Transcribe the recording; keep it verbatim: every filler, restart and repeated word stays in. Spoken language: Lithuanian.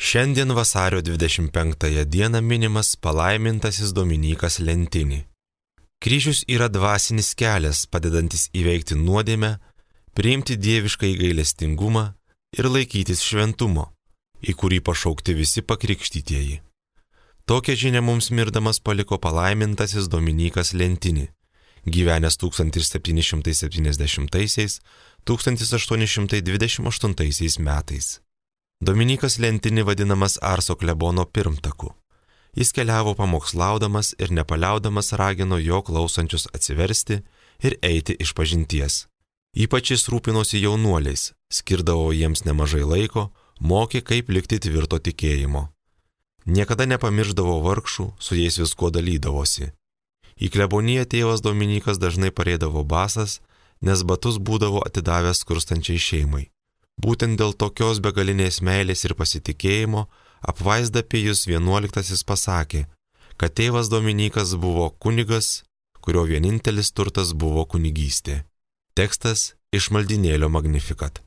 Šiandien vasario dvidešimt penktąją dieną minimas palaimintasis Dominykas Lentini. Kryžius yra dvasinis kelias, padedantis įveikti nuodėmę, priimti dievišką gailestingumą ir laikytis šventumo, į kurį pašaukti visi pakrikštytieji. Tokią žinią mums mirdamas paliko palaimintasis Dominykas Lentini, gyvenęs tūkstantis septyni šimtai septyniasdešimtaisiais - tūkstantis aštuoni šimtai dvidešimt aštuntaisiais metais. Dominykas Lentini vadinamas Arso klebono pirmtaku. Jis keliavo pamokslaudamas ir nepaliaudamas ragino jo klausančius atsiversti ir eiti išpažinties. Ypač jis rūpinosi jaunuoliais, skirdavo jiems nemažai laiko, mokė, kaip likti tvirto tikėjimo. Niekada nepamirždavo vargšų, su jais viskuo dalydavosi. Į kleboniją tėvas Dominykas dažnai pareidavo basas, nes batus būdavo atidavęs skurstančiai šeimai. Būtent dėl tokios begalinės meilės ir pasitikėjimo apvaizda Pijus vienuoliktasis pasakė, kad tėvas Dominykas buvo kunigas, kurio vienintelis turtas buvo kunigystė. Tekstas iš maldynėlio Magnificat.